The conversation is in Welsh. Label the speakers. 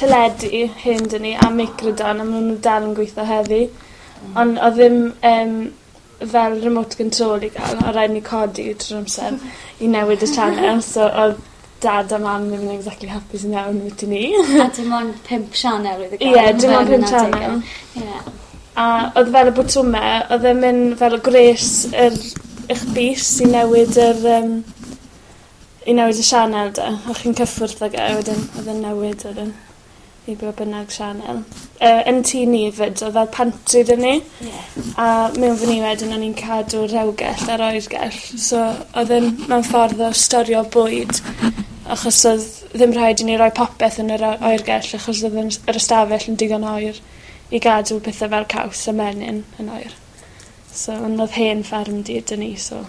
Speaker 1: teledu hen 'da ni a microdon a ma' n'w dal yn gweitho heddi. Ond odd ddim fel remote control i ga'l o' raid ni codi trwy'r amser i newid y sianel so odd dad a mam ddim yn exactly hapus yn iawn ambwti 'ny.
Speaker 2: A dim ond pump sianel oedd i ga'l.
Speaker 1: Ie dim ond pump sianel.
Speaker 2: Ie.
Speaker 1: A odd fel y botwme odd e'n myn' fel gwres yr 'ych bys i newid yr yym i newid y sianel 'de? O'ch chi'n cyffwrdd ag e a wedyn odd e'n newid wedyn i be' bynnag sianel. Yn tŷ ni 'fyd odd fel pantry 'da ni.
Speaker 2: Ie.
Speaker 1: A mewn fyn 'ny wedyn o'n i'n cadw rhewgell a'r oergell so odd e'n mewn ffordd o storio bwyd achos odd ddim rhaid i ni roi popeth yn yr o- oergell achos odd yn yr ystafell yn digon oer i gadw pethe fel caws a menyn yn oer. So on' odd hen ffermdy 'da ni so